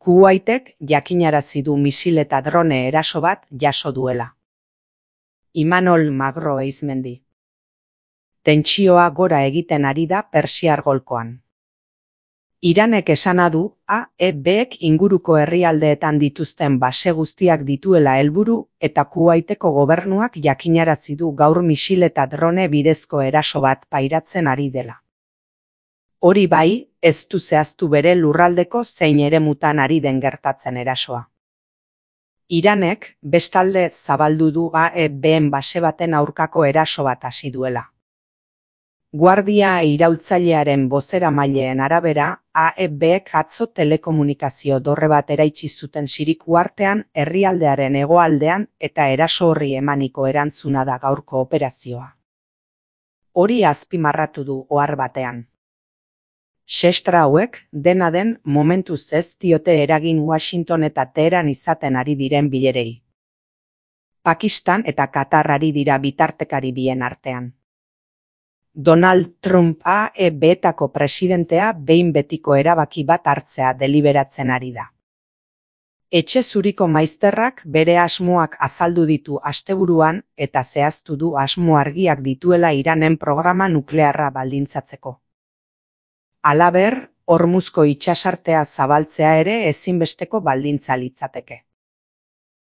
Kuwaitek jakinarazi du misil eta drone eraso bat jaso duela. Imanol Magro Eizmendi. Tentsioa gora egiten ari da Persiar golkoan. Iranek esana du AEBek inguruko herrialdeetan dituzten base guztiak dituela helburu eta Kuwaiteko gobernuak jakinarazi du gaur misil eta drone bidezko eraso bat pairatzen ari dela. Hori bai, ez du zehaztu bere lurraldeko zein eremutan ari den gertatzen erasoa. Iranek bestalde zabaldu du AEBen base baten aurkako eraso bat hasi duela. Guardia iraultzailearen bozeramaileen arabera, AEBek atzo telekomunikazio dorre bat eraitsi zuten Sirik uhartean, herrialdearen hegoaldean eta eraso horri emaniko erantzuna da gaurko operazioa. Hori azpimarratu du ohar batean. Sestra hauek, dena den, momentuz ez diote eragin Washington eta Teheran izaten ari diren bilerei. Pakistan eta Katar ari dira bitartekari bien artean. Donald Trump AEBetako presidentea behin betiko erabaki bat hartzea deliberatzen ari da. Etxe zuriko maizterrak bere asmoak azaldu ditu asteburuan eta zehaztu du asmo argiak dituela Iranen programa nuklearra baldintzatzeko. Halaber, Hormuzko itsasartea zabaltzea ere ezinbesteko baldintza litzateke.